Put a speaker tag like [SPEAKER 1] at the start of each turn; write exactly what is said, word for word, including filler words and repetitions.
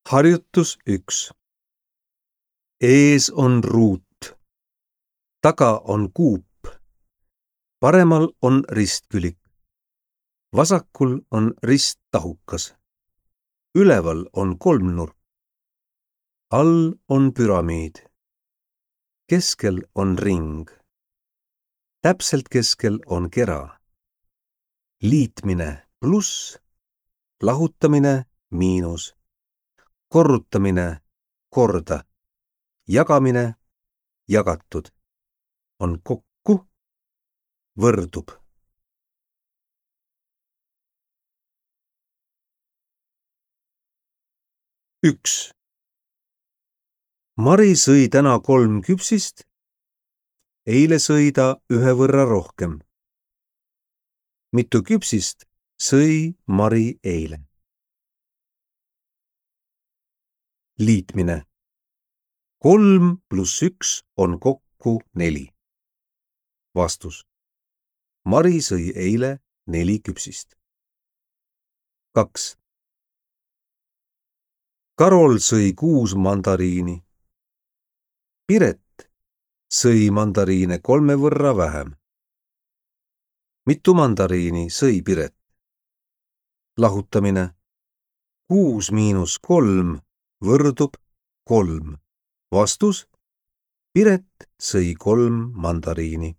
[SPEAKER 1] Harjutus üks. Ees on ruut, taga on kuup, paremal on ristkülik, vasakul on risttahukas, üleval on kolmnurk, all on püramiid, keskel on ring, täpselt keskel on kera, liitmine pluss, lahutamine miinus, korrutamine korda, jagamine jagatud, on kokku, võrdub. üks. Mari sõi täna kolm küpsist, eile sõi ta ühe võrra rohkem. Mitu küpsist sõi Mari eile? Liitmine. Kolm pluss üks on kokku neli. Vastus. Mari sõi eile neli küpsist. kaks. Karol sõi kuus mandariini. Piret sõi mandariine kolme võrra vähem. Mitu mandariini sõi Piret? Lahutamine. Kuus miinus kolm võrdub kolm. Vastus. Piret sõi kolm mandariini.